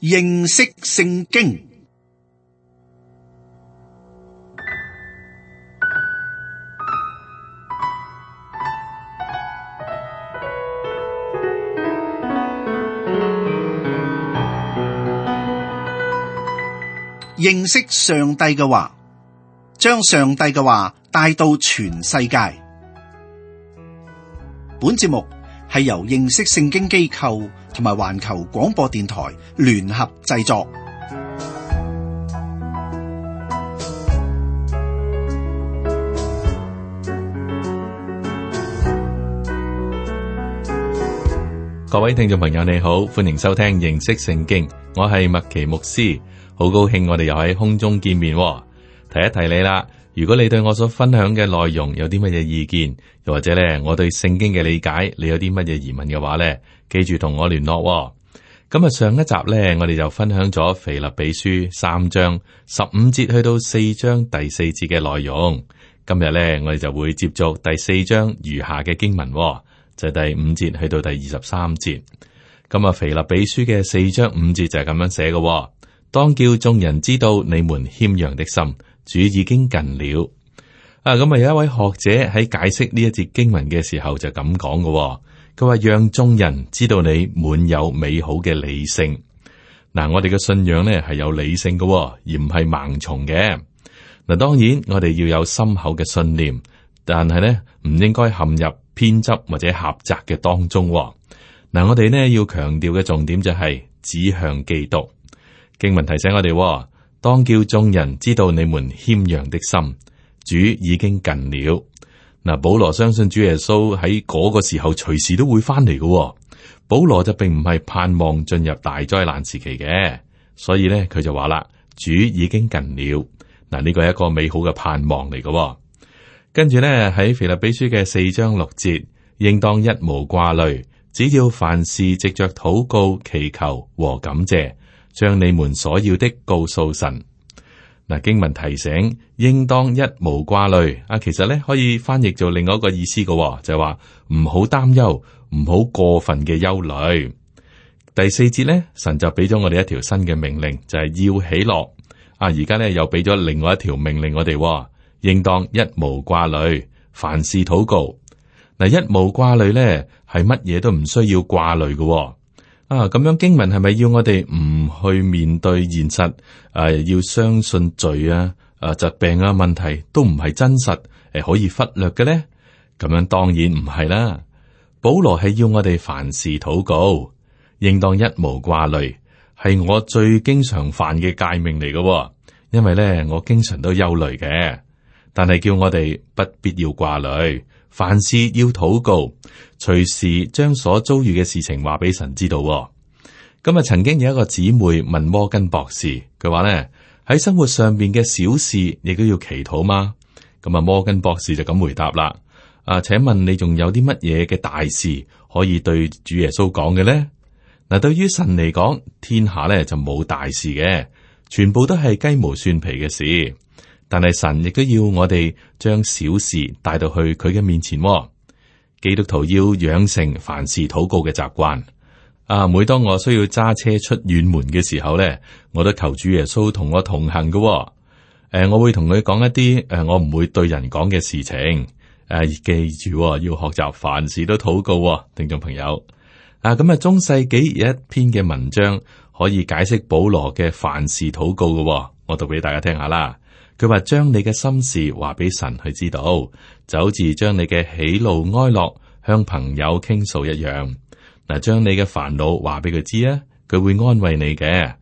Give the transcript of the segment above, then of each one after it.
認識聖經。認識上帝嘅話，將上帝嘅話帶到全世界。本節目係由認識聖經機構同埋環球廣播電台聯合製作。各位聽眾朋友你好，歡迎收聽認識聖經，我係麥奇牧師，好高興我哋又喺空中見面。提一提你啦，如果你對我所分享嘅內容有啲乜嘢意見，又或者咧我對聖經嘅理解，你有啲乜嘢疑問嘅話咧，記住同我聯絡。咁啊，上一集咧，我哋就分享咗腓立比書3章15節去到4章第4節嘅內容。今日咧，我哋就會接續第4章餘下嘅經文，就係第5節去到第23節。咁啊，腓立比書嘅4章5節就係咁樣寫嘅：當叫眾人知道你們謙讓的心，主已經近了。咁啊，有一位學者喺解釋呢一節經文嘅時候就咁講嘅，佢話讓眾人知道你滿有美好嘅理性。嗱，我哋嘅信仰呢係有理性嘅，而唔係盲從嘅。嗱，當然我哋要有深厚嘅信念，但係呢唔應該陷入偏執或者狹窄嘅當中。嗱，我哋呢要強調嘅重點就係指向基督。經文提醒我哋，當叫眾人知道你們謙讓的心，主已經近了。嗱，保羅相信主耶穌喺嗰個時候隨時都會翻嚟嘅。保羅就並唔係盼望進入大災難時期嘅，所以咧佢就話啦，主已經近了。嗱，呢個係一個美好嘅盼望嚟嘅。跟住咧喺腓立比書嘅4章6節，應當一無掛慮，只要凡事藉着禱告、祈求和感謝，將你們所要的告訴神。嗱，經文提醒應當一無掛慮啊，其實咧可以翻譯做另外一個意思嘅，就係話唔好擔憂，唔好過分嘅憂慮。第4節咧，神就俾咗我哋一條新嘅命令，就係要喜樂啊。而家咧又俾咗另外一條命令我哋，應當一無掛慮，凡事禱告。嗱，一無掛慮咧係乜嘢都唔需要掛慮嘅。咁樣經文係咪要我哋唔去面對現實？要相信罪啊、疾病啊問題都唔係真實，可以忽略嘅咧？咁樣當然唔係啦。保羅係要我哋凡事禱告，應當一無掛慮，係我最經常犯嘅誡命嚟嘅。因為咧我經常都憂慮嘅，但係叫我哋不必要掛慮。凡事要禱告，隨時將所遭遇嘅事情話俾神知道。咁啊，曾經有一個姊妹問摩根博士，佢話咧喺生活上邊嘅小事亦都要祈禱嗎？咁啊，摩根博士就咁回答啦。請問你仲有啲乜嘢嘅大事可以對主耶穌講嘅咧？嗱，對於神嚟講，天下咧就冇大事嘅，全部都係雞毛蒜皮嘅事。但係神亦都要我哋將小事帶到去佢嘅面前。基督徒要養成凡事禱告嘅習慣。每當我需要揸車出遠門嘅時候咧，我都求主耶穌同我同行嘅。我會同佢講一啲我唔會對人講嘅事情。記住要學習凡事都禱告。聽眾朋友，咁中世紀有一篇嘅文章可以解釋保羅嘅凡事禱告嘅。我讀俾大家聽下啦。佢話將你嘅心事話俾神去知道，就好似將你嘅喜怒哀樂向朋友傾訴一樣。嗱，將你嘅煩惱話俾佢知啊，佢會安慰你嘅；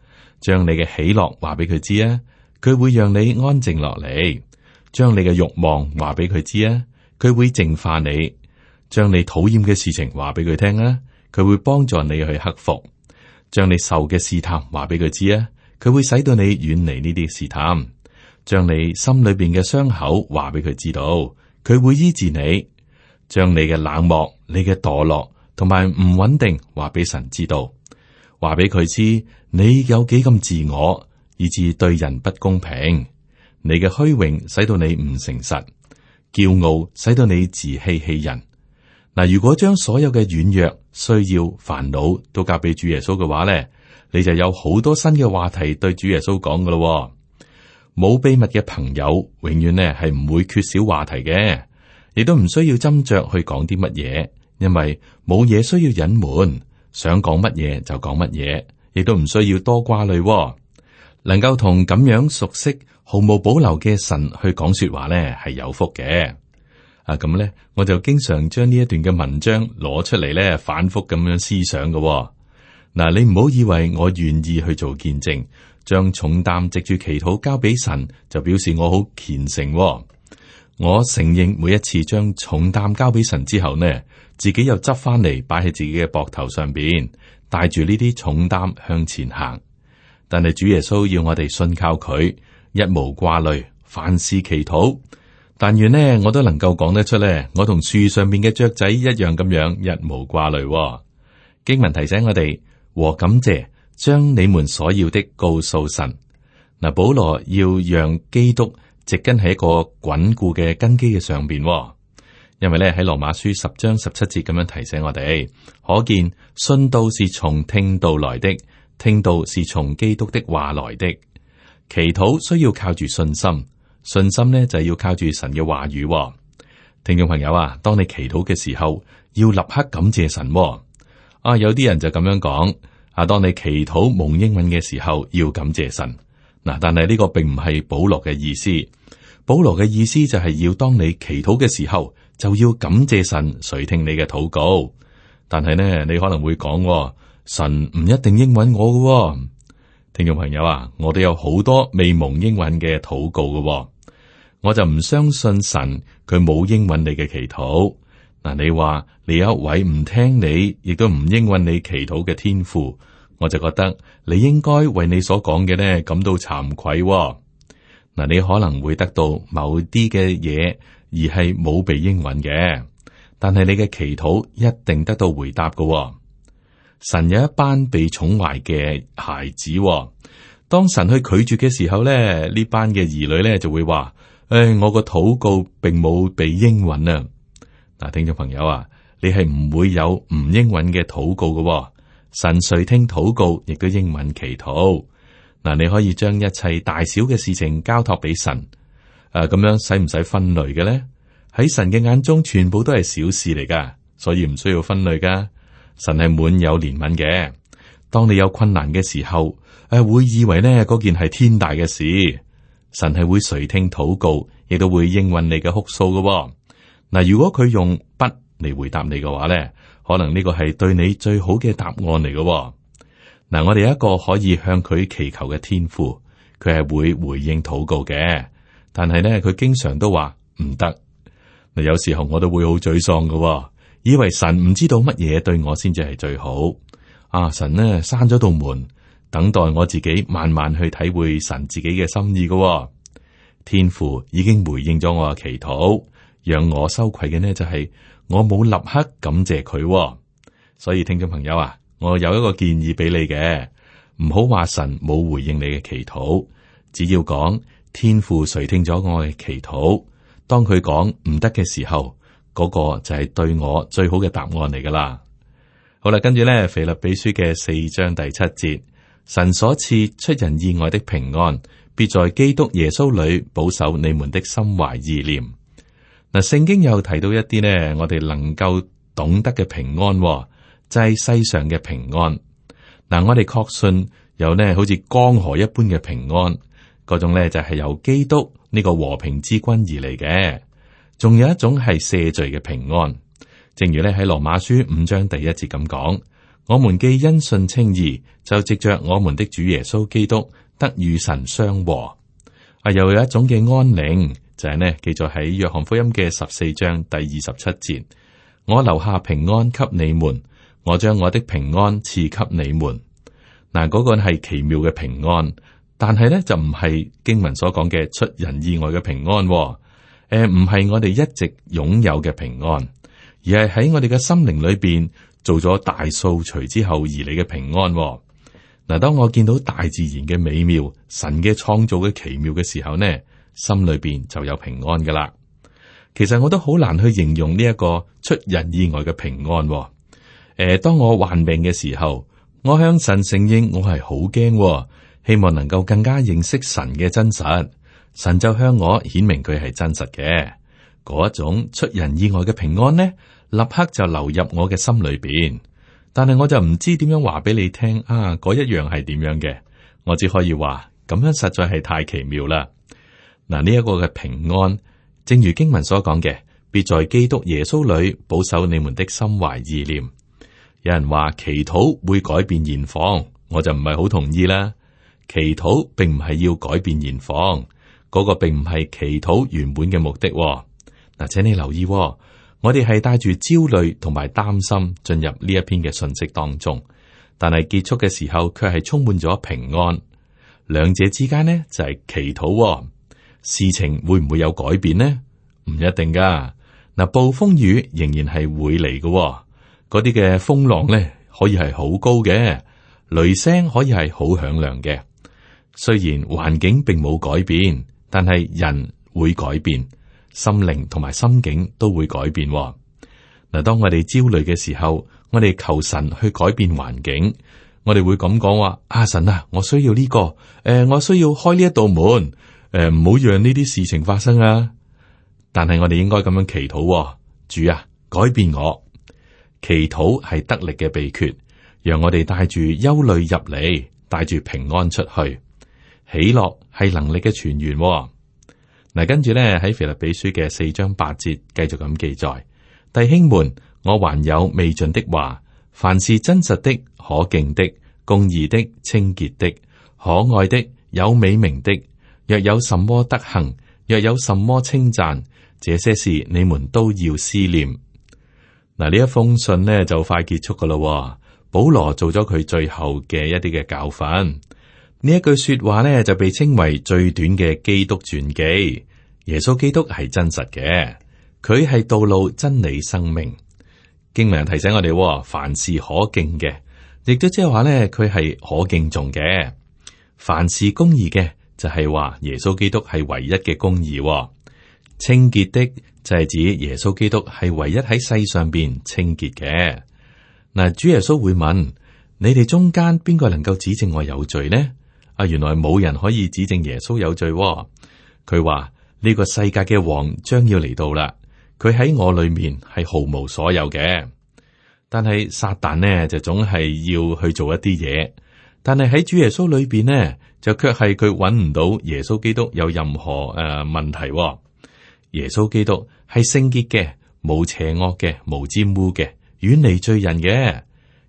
將你嘅喜樂話俾佢知啊，佢會讓你安靜落嚟；將你嘅慾望話俾佢知啊，佢會淨化你；將你討厭嘅事情話俾佢聽啊，佢會幫助你去克服；將你受嘅試探話俾佢知啊，佢會使到你遠離呢啲試探。將你心裏邊嘅傷口話俾佢知道，佢會醫治你；將你嘅冷漠、你嘅墮落同埋唔穩定話俾神知道，話俾佢知你有幾咁自我，以致對人不公平；你嘅虛榮使到你唔誠實，驕傲使到你自欺欺人。嗱，如果將所有嘅軟弱、需要、煩惱都交俾主耶穌嘅話咧，你就有好多新嘅話題對主耶穌講噶咯。冇秘密嘅朋友，永遠呢係唔會缺少話題嘅，亦都唔需要斟酌去講啲乜嘢，因為冇嘢需要隱瞞，想講乜嘢就講乜嘢，亦都唔需要多掛慮。能夠同咁樣熟悉、毫無保留嘅神去講說話呢，係有福嘅。咁呢，我就經常將呢一段嘅文章攞出嚟呢，反覆咁樣思想嘅。嗱，你唔好以為我願意去做見證。將重擔藉住祈禱交俾神，就表示我好虔誠。我承認每一次將重擔交俾神之後呢，自己又執翻嚟擺喺自己嘅膊頭上邊，帶住呢啲重擔向前行。但係主耶穌要我哋信靠佢，一無掛慮，凡事祈禱。但願呢，我都能夠講得出呢，我同樹上面嘅雀仔一樣咁樣一無掛慮。經文提醒我哋和感謝。將你們所要的告訴神。嗱，保羅要讓基督植根喺一個穩固嘅根基嘅上邊，因為咧喺羅馬書10章17節咁樣提醒我哋，可見信道是從聽道來的，聽道是從基督的話來的。祈禱需要靠住信心，信心呢就係要靠住神嘅話語。聽眾朋友啊，當你祈禱嘅時候，要立刻感謝神。有啲人就咁樣講。當你祈禱蒙應允嘅時候，要感謝神。嗱，但係呢個並唔係保羅嘅意思。保羅嘅意思就係要當你祈禱嘅時候，就要感謝神垂聽你嘅禱告。但係呢，你可能會講，神唔一定應允我嘅。聽眾朋友啊，我哋有好多未蒙應允嘅禱告嘅，我就唔相信神佢冇應允你嘅祈禱。嗱，你話你有一位唔聽你，亦都唔應允你祈禱嘅天父，我就覺得你應該為你所講嘅呢感到慚愧。嗱，你可能會得到某啲嘅嘢，而係冇被應允嘅，但係你嘅祈禱一定得到回答嘅。神有一班被寵壞嘅孩子，當神去拒絕嘅時候咧，呢班嘅兒女咧就會話：我個禱告並冇被應允啊！嗱，聽眾朋友啊，你係唔會有唔應允嘅禱告嘅。神垂聽禱告，亦都應允祈禱。嗱，你可以將一切大小嘅事情交託俾神。咁樣使唔使分類嘅咧？喺神嘅眼中，全部都係小事嚟噶，所以唔需要分類噶。神係滿有憐憫嘅。當你有困難嘅時候，會以為呢嗰件係天大嘅事。神係會垂聽禱告，亦都會應允你嘅哭訴嘅。嗱，如果佢用不嚟回答你嘅話咧，可能呢個係對你最好嘅答案嚟嘅。嗱，我哋有一個可以向佢祈求嘅天父，佢係會回應禱告嘅，但係咧佢經常都話唔得。嗱，有時候我都會好沮喪嘅，以為神唔知道乜嘢對我先至係最好。神呢閂咗道門，等待我自己慢慢去體會神自己嘅心意嘅。天父已經回應咗我嘅祈禱。讓我羞愧嘅呢，就係我冇立刻感謝佢。所以聽眾朋友啊，我有一個建議俾你嘅，唔好話神冇回應你嘅祈禱，只要講天父垂聽咗我嘅祈禱。當佢講唔得嘅時候，嗰個就係對我最好嘅答案嚟噶啦。好啦，跟住咧，腓立比書嘅4章第7節，神所賜出人意外的平安，必在基督耶穌裏保守你們的心懷意念。嗱，聖經又提到一啲呢，我哋能夠懂得嘅平安，就係世上嘅平安。嗱，我哋確信有呢好似江河一般嘅平安，嗰種呢就係由基督呢個和平之君而嚟嘅。仲有一種係赦罪嘅平安，正如呢喺羅馬書5章第1節咁講：我們既因信稱義，就藉着我們的主耶穌基督得與神相和。又有一種嘅安寧。就係呢，記載喺約翰福音嘅14章第27節，我留下平安給你們，我將我的平安賜給你們。嗱，嗰個係奇妙嘅平安，但係呢就唔係經文所講嘅出人意外嘅平安，唔係我哋一直擁有嘅平安，而係喺我哋嘅心靈裏邊做咗大掃除之後而嚟嘅平安。嗱，當我見到大自然嘅美妙，神嘅創造嘅奇妙嘅時候呢，心裏邊就有平安噶啦。其實我都好難去形容呢一個出人意外嘅平安。當我患病嘅時候，我向神承認我係好驚，希望能夠更加認識神嘅真實。神就向我顯明佢係真實嘅，嗰一種出人意外嘅平安呢，立刻就流入我嘅心裏邊。但係我就唔知點樣話俾你聽啊，嗰一樣係點樣嘅？我只可以話咁樣實在係太奇妙啦。嗱，呢一個嘅平安，正如經文所講嘅，必在基督耶穌裏保守你們的心懷意念。有人話祈禱會改變現況，我就唔係好同意啦。祈禱並唔係要改變現況，嗰個並唔係祈禱原本嘅目的。嗱，請你留意，我哋係帶住焦慮同埋擔心進入呢一篇嘅信息當中，但係結束嘅時候卻係充滿咗平安。兩者之間呢就係祈禱，事情會唔會有改變呢？唔一定噶。嗱，暴風雨仍然係會嚟嘅，嗰啲嘅風浪呢可以係好高嘅，雷聲可以係好響亮嘅。雖然環境並冇改變，但係人會改變，心靈同埋心境都會改變。嗱，當我哋焦慮嘅時候，我哋求神去改變環境，我哋會咁講話：啊，神啊，我需要呢個，我需要開呢一道門，唔好讓呢啲事情發生啊！但係我哋應該咁樣祈禱，主啊，改變我。祈禱係得力嘅秘訣，讓我哋帶住憂慮入嚟，帶住平安出去。喜樂係能力嘅泉源。嗱，跟住咧喺腓立比書嘅4章8節繼續咁記載：弟兄們，我還有未盡的話，凡是真實的、可敬的、公義的、清潔的、可愛的、有美名的，若有什麼德行，若有什麼稱讚，這些事你們都要思念。嗱，呢一封信呢就快結束噶啦。保羅做咗佢最後嘅一啲嘅教訓。呢一句說話呢就被稱為最短嘅基督傳記。耶穌基督係真實嘅，佢係道路、真理、生命。經文提醒我哋，凡事可敬嘅，亦都即係話呢，佢係可敬重嘅。凡事公義嘅，就係話耶穌基督係唯一嘅公義。清潔的就係指耶穌基督係唯一喺世上邊清潔嘅。嗱，主耶穌會問：你哋中間邊個能夠指證我有罪呢？啊，原來冇人可以指證耶穌有罪。佢話呢個世界嘅王將要嚟到啦，佢喺我裏面係毫無所有嘅。但係撒旦呢就總係要去做一啲嘢，但係喺主耶穌裏邊呢就卻係佢揾唔到耶穌基督有任何問題。耶穌基督係聖潔嘅，冇邪惡嘅，無沾污嘅，遠離罪人嘅。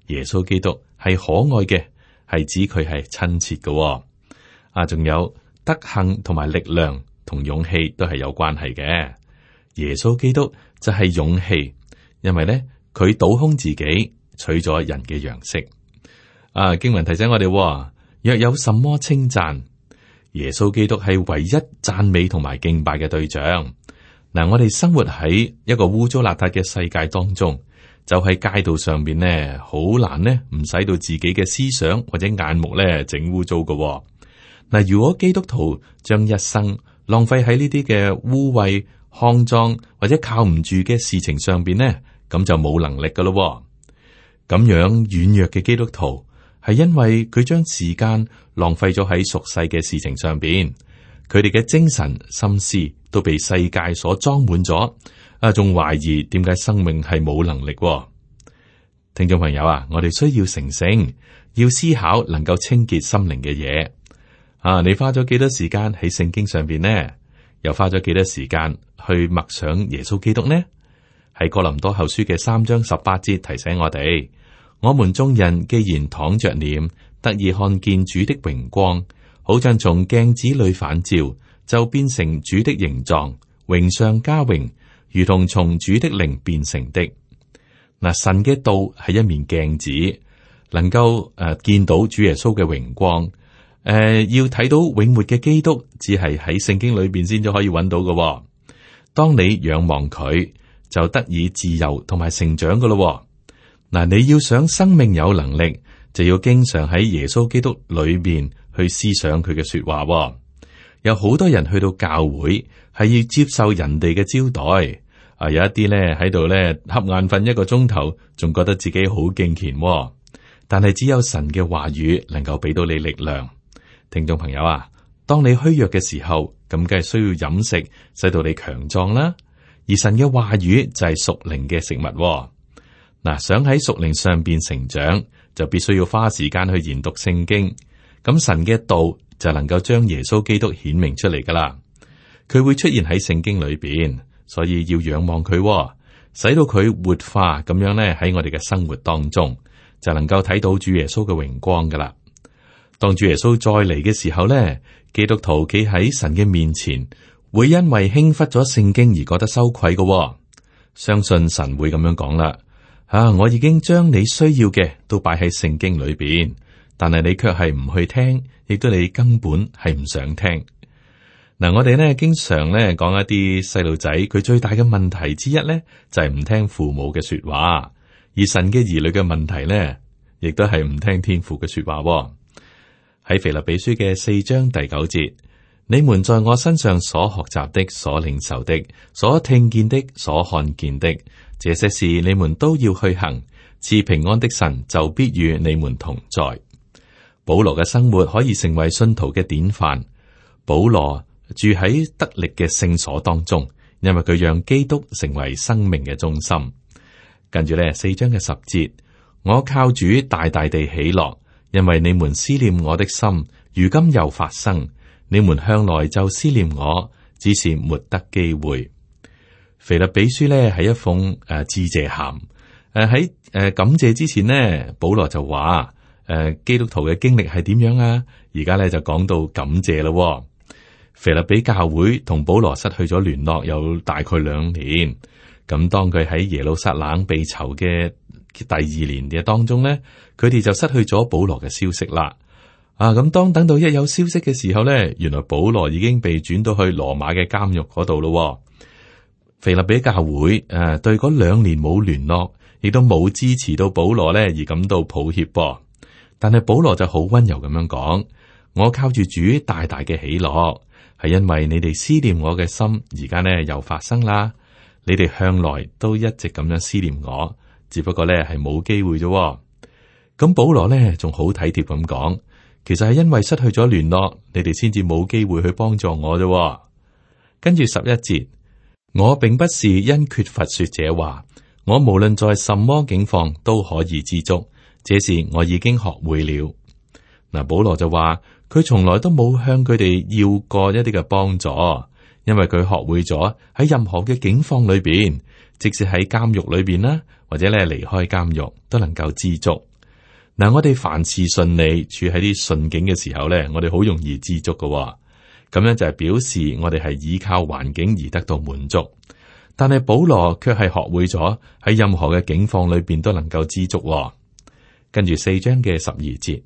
耶穌基督係可愛嘅，係指佢係親切嘅。仲有德行同埋力量同勇氣都係有關係嘅。耶穌基督就係勇氣，因為咧佢倒空自己，取咗人嘅樣式。經文提醒我哋，若有什麼稱讚，耶穌基督係唯一讚美同埋敬拜嘅對象。嗱，我哋生活喺一個污糟邋遢嘅世界當中，就喺街道上邊呢，好難呢唔使到自己嘅思想或者眼目咧整污糟嘅。嗱，如果基督徒將一生浪費喺呢啲嘅污穢、骯髒或者靠唔住嘅事情上邊呢，咁就冇能力噶咯。咁樣軟弱嘅基督徒係因為佢將時間浪費咗喺俗世嘅事情上邊，佢哋嘅精神心思都被世界所裝滿咗，仲懷疑點解生命係冇能力。聽眾朋友啊，我哋需要成聖，要思考能夠清潔心靈嘅嘢。你花咗幾多時間喺聖經上邊呢？又花咗幾多時間去默想耶穌基督呢？喺哥林多後書嘅3章18節提醒我哋：我們眾人既然躺着臉，得以看見主的榮光，好像從鏡子裏反照，就變成主的形狀，榮上加榮，如同從主的靈變成的。嗱，神嘅道係一面鏡子，能夠見到主耶穌嘅榮光。要睇到永活嘅基督，只係喺聖經裏邊先至可以揾到嘅。當你仰望佢，就得以自由同埋成長噶咯。嗱，你要想生命有能力，就要經常喺耶穌基督裏面去思想佢嘅說話。有好多人去到教會係要接受人哋嘅招待，有一啲咧喺度咧瞌眼瞓1個鐘頭，仲覺得自己好敬虔。但係只有神嘅話語能夠俾到你力量。聽眾朋友啊，當你虛弱嘅時候，咁梗係需要飲食，使到你強壯啦。而神嘅話語就係屬靈嘅食物喎。嗱，想喺屬靈上邊成長，就必須要花時間去研讀聖經。咁神嘅道就能夠將耶穌基督顯明出嚟噶啦。佢會出現喺聖經裏邊，所以要仰望佢喎，使到佢活化咁樣咧喺我哋嘅生活當中，就能夠睇到主耶穌嘅榮光噶啦。當主耶穌再嚟嘅時候咧，基督徒企喺神嘅面前，會因為輕忽咗聖經而覺得羞愧嘅喎。相信神會咁樣講啦。我已經將你需要嘅都擺喺聖經裏邊，但係你卻係唔去聽，亦都你根本係唔想聽。嗱，我哋咧經常咧講一啲細路仔，佢最大嘅問題之一咧就係唔聽父母嘅說話，而神嘅兒女嘅問題咧，亦都係唔聽天父嘅說話。喺腓立比書嘅4章第9節，你們在我身上所學習的、所領受的、所聽見的、所看見的，這些事你們都要去行，賜平安的神就必與你們同在。保羅嘅生活可以成為信徒嘅典範。保羅住喺得力嘅聖所當中，因為佢讓基督成為生命嘅中心。跟住咧4章嘅10節，我靠主大大地喜樂，因為你們思念我的心，如今又發生。你們向來就思念我，只是沒得機會。腓立比書呢係一封致謝函。喺感謝之前呢，保羅就話基督徒嘅經歷係點樣啊？而家咧就講到感謝咯。腓立比教會同保羅失去咗聯絡有大概2年。咁當佢喺耶路撒冷被囚嘅第2年嘅當中呢，佢哋就失去咗保羅嘅消息啦。咁當等到一有消息嘅時候呢，原來保羅已經被轉到去羅馬嘅監獄嗰度咯。腓立比教會對嗰2年冇聯絡，亦都冇支持到保羅呢而感到抱歉噃。但係保羅就好溫柔咁樣講：我靠住主大大嘅喜樂，係因為你哋思念我嘅心，而家呢又發生啦。你哋向來都一直咁樣思念我，只不過呢係冇機會啫。咁保羅呢仲好體貼咁講。其實係因為失去咗聯絡，你哋先至冇機會去幫助我啫。跟住11節，我並不是因缺乏說這話，我無論在什麼境況都可以知足，這事我已經學會了。嗱，保羅就話佢從來都冇向佢哋要過一啲嘅幫助，因為佢學會咗喺任何嘅境況裏邊，即使喺監獄裏邊啦，或者咧離開監獄都能夠知足。嗱，我哋凡事順利，處喺啲順境嘅時候咧，我哋好容易知足㗎喎。咁樣就係表示我哋係依靠環境而得到滿足。但係保羅卻係學會咗喺任何嘅境況裏邊都能夠知足喎。跟住4章嘅12節，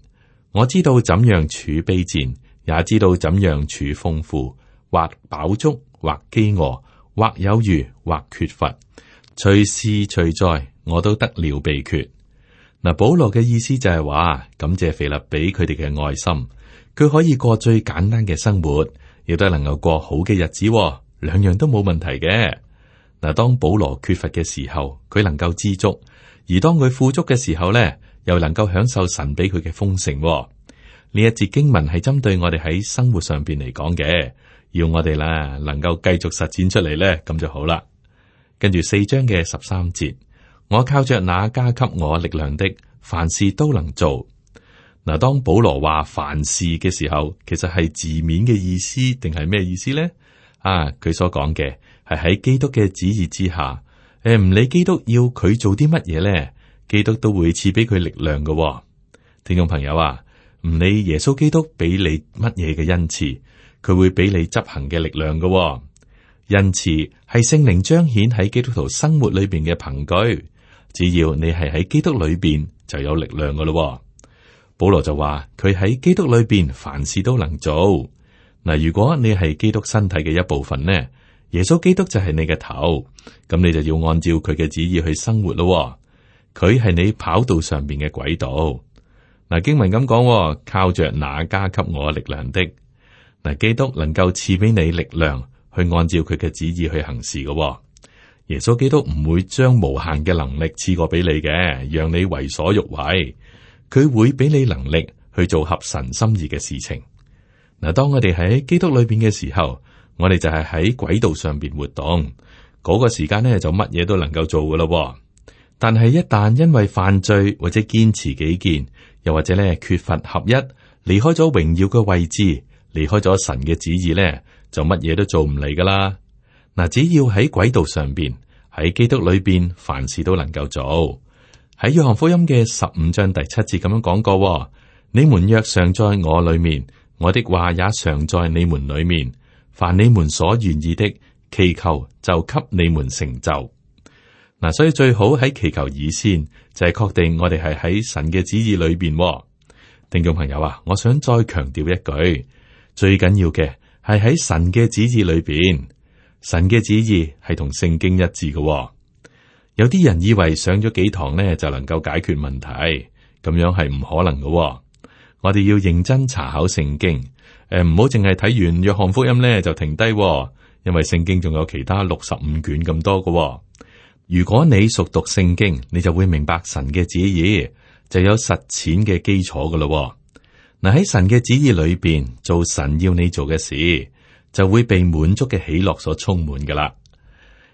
我知道怎樣處卑賤，也知道怎樣處豐富，或飽足，或飢餓，或有餘，或缺乏，隨時隨在，我都得了秘訣。嗱，保羅嘅意思就係話，感謝腓立比佢哋嘅愛心，佢可以過最簡單嘅生活，亦都能夠過好嘅日子喎，兩樣都冇問題嘅。嗱，當保羅缺乏嘅時候，佢能夠知足；而當佢富足嘅時候咧，又能夠享受神俾佢嘅豐盛喎。呢一節經文係針對我哋喺生活上邊嚟講嘅，要我哋啦能夠繼續實踐出嚟咧，咁就好啦。跟住4章嘅13節。我靠着那加給我力量的，凡事都能做。嗱，當保羅話凡事嘅時候，其實係字面嘅意思定係咩意思咧？佢所講嘅係喺基督嘅旨意之下，唔理基督要佢做啲乜嘢咧，基督都會賜俾佢力量嘅喎。聽眾朋友啊，唔理耶穌基督俾你乜嘢嘅恩賜，佢會俾你執行嘅力量嘅喎。恩賜係聖靈彰顯喺基督徒生活裏邊嘅憑據。只要你係喺基督裏邊，就有力量噶咯。保羅就話佢喺基督裏邊凡事都能做。嗱，如果你係基督身體嘅一部分呢，耶穌基督就係你嘅頭，咁你就要按照佢嘅旨意去生活咯。佢係你跑道上邊嘅軌道。嗱，經文咁講，靠着那加給我力量的。嗱，基督能夠賜俾你力量去按照佢嘅旨意去行事嘅。耶穌基督唔會將無限嘅能力賜過俾你嘅，讓你為所欲為。佢會俾你能力去做合神心意嘅事情。嗱，當我哋喺基督裏邊嘅時候，我哋就係喺軌道上邊活動，嗰個時間呢，就乜嘢都能夠做噶咯。但係一旦因為犯罪或者堅持己見，又或者咧缺乏合一，離開咗榮耀嘅位置，離開咗神嘅旨意咧，就乜嘢都做唔嚟噶啦。嗱，只要喺軌道上邊，喺基督裏邊，凡事都能夠做。喺約翰福音嘅15章第7節咁樣講過：你們若常在我裏面，我的話也常在你們裏面，凡你們所願意的，祈求就給你們成就。嗱，所以最好喺祈求以先，就係確定我哋係喺神嘅旨意裏邊。聽眾朋友啊，我想再強調一句，最緊要嘅係喺神嘅旨意裏邊，神嘅旨意係同聖經一致嘅。有啲人以為上咗幾堂呢就能夠解決問題，咁樣係唔可能嘅。我哋要認真查考聖經，唔好淨係睇完約翰福音呢就停低，因為聖經仲有其他65卷咁多嘅。如果你熟讀聖經，你就會明白神嘅旨意，就有實踐嘅基礎噶咯。嗱，喺神嘅旨意裏邊做神要你做嘅事，就會被滿足嘅喜樂所充滿噶啦。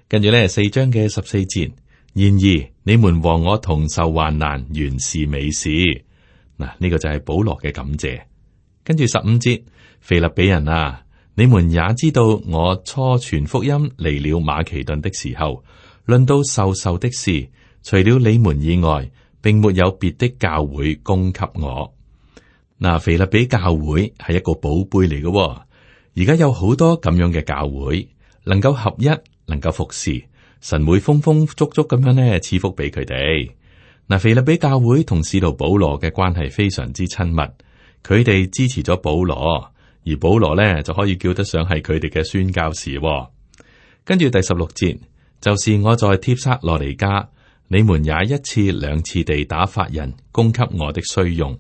跟住呢4章嘅14節，然而你們和我同受患難，原是美事。嗱，呢個就係保羅嘅感謝。跟住15節，腓立比人啊，你們也知道我初傳福音離了馬其頓的時候，論到授的事，除了你們以外，並沒有別的教會供給我。嗱，腓立比教會係一個寶貝嚟嘅，而家有好多咁樣嘅教會，能夠合一，能夠服侍，神會豐豐足足咁樣呢賜福俾佢哋。嗱，腓立比教會同使徒保羅嘅關係非常之親密，佢哋支持咗保羅，而保羅呢就可以叫得上係佢哋嘅宣教士。跟住第16節。就是我在帖撒羅尼迦，你們也一次兩次地打發人供給我的需用。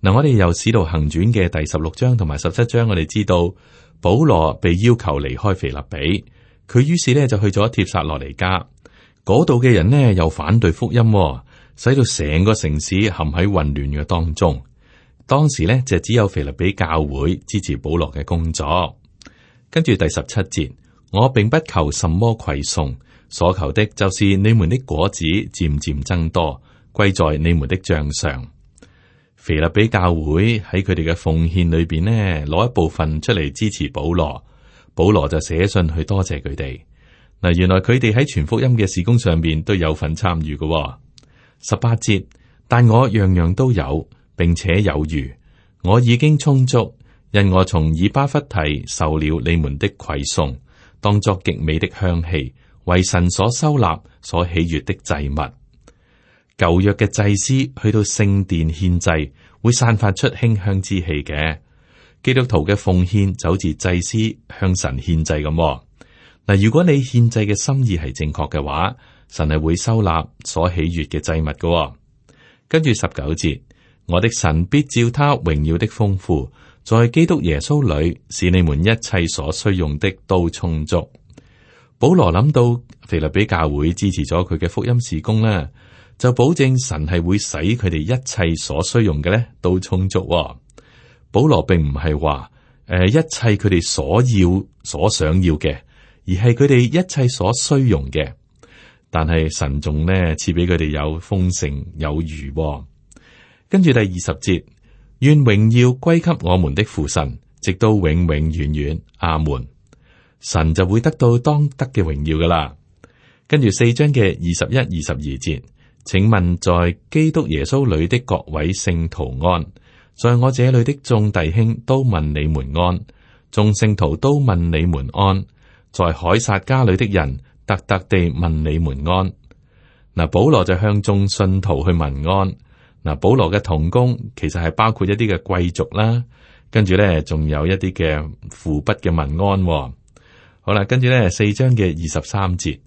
嗱，我哋由使徒行傳嘅第16章同埋17章，我哋知道保羅被要求離開腓立比，佢於是呢就去咗帖撒羅尼迦。嗰度嘅人呢又反對福音，使到成個城市陷喺混亂嘅當中。當時呢就只有腓立比教會支持保羅嘅工作。跟住第17節。我並不求什麼饋送，所求的就是你們的果子漸漸增多，歸在你們的賬上。腓立比教會喺佢哋嘅奉獻裏邊呢，攞一部分出嚟支持保羅，保羅就寫信去多謝佢哋。嗱，原來佢哋喺傳福音嘅事工上邊都有份參與嘅。18節，但我樣樣都有，並且有餘，我已經充足，因我從以巴弗提受了你們的饋送。當作極美的香氣，為神所收納、所喜悅的祭物。舊約嘅祭司去到聖殿獻祭，會散發出馨香之氣嘅。基督徒嘅奉獻就好似祭司向神獻祭咁。嗱，如果你獻祭嘅心意係正確嘅話，神係會收納所喜悅嘅祭物嘅。跟住19節，我的神必照他榮耀的豐富，在基督耶穌裏，使你們一切所需用的都充足。保羅諗到腓立比教會支持咗佢嘅福音事工啦，就保證神係會使佢哋一切所需用嘅咧都充足。保羅並唔係話一切佢哋所要所想要嘅，而係佢哋一切所需用嘅。但係神仲呢賜俾佢哋有豐盛有餘。跟住第20節。願榮耀歸給我們的父神，直到永永遠遠。阿門。神就會得到當得嘅榮耀噶啦。跟住4章嘅21、22節，請問在基督耶穌裏的各位聖徒安，在我這裏的眾弟兄都問你們安，眾聖徒都問你們安，在凱撒家裏的人特特地問你們安。嗱，保羅就向眾信徒去問安。嗱，保羅嘅同工其實係包括一啲嘅貴族啦，跟住咧仲有一啲嘅父筆嘅問安。好啦，跟住咧4章嘅23節，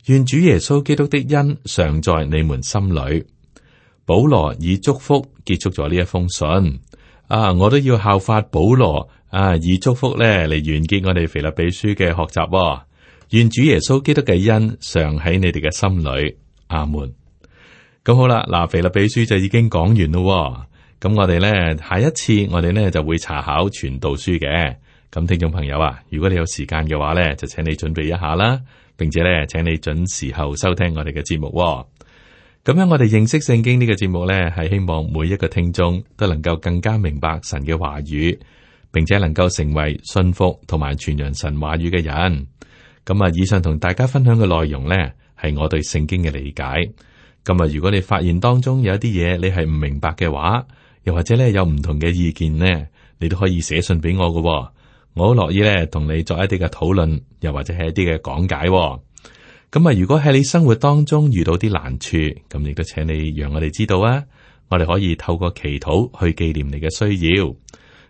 願主耶穌基督的恩常在你們心裏。保羅以祝福結束咗呢一封信。我都要效法保羅以祝福咧嚟完結我哋腓立比書嘅學習。願主耶穌基督嘅恩常喺你哋嘅心裏。阿門。咁好啦，嗱，腓立比書就已經講完咯。咁我哋咧下一次我哋咧就會查考傳道書嘅。咁聽眾朋友啊，如果你有時間嘅話咧，就請你準備一下啦，並且咧請你準時候收聽我哋嘅節目。咁樣我哋認識聖經呢個節目咧，係希望每一個聽眾都能夠更加明白神嘅話語，並且能夠成為信服同埋傳揚神話語嘅人。咁啊，以上同大家分享嘅內容咧，係我對聖經嘅理解。咁啊，如果你發現當中有一啲嘢你係唔明白嘅話，又或者咧有唔同嘅意見呢，你都可以寫信俾我嘅。我好樂意咧同你作一啲嘅討論，又或者係一啲嘅講解。咁啊，如果喺你生活當中遇到啲難處，咁亦都請你讓我哋知道啊，我哋可以透過祈禱去紀念你嘅需要。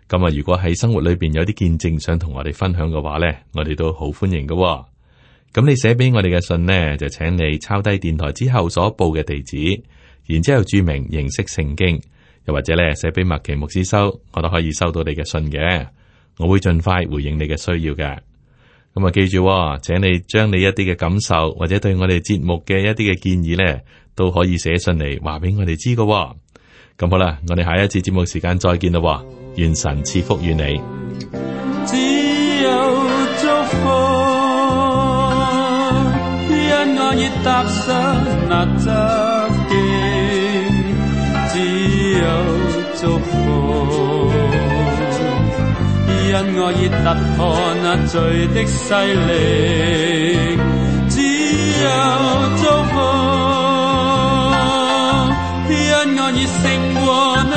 咁啊，如果喺生活裏邊有啲見證想同我哋分享嘅話咧，我哋都好歡迎嘅。咁你寫俾我哋嘅信呢，就請你抄低電台之後所報嘅地址，然之後注明認識聖經，又或者咧寫俾麥奇牧師收，我都可以收到你嘅信嘅。我會盡快回應你嘅需要嘅。咁啊，記住，請你將你一啲嘅感受或者對我哋節目嘅一啲嘅建議咧，都可以寫信嚟話俾我哋知嘅。咁好啦，我哋下一次節目時間再見啦。願神賜福與你。只有祝福，因我已踏上那側徑，只有祝福。因我已突破那罪的勢力，只有祝福。因我已勝過那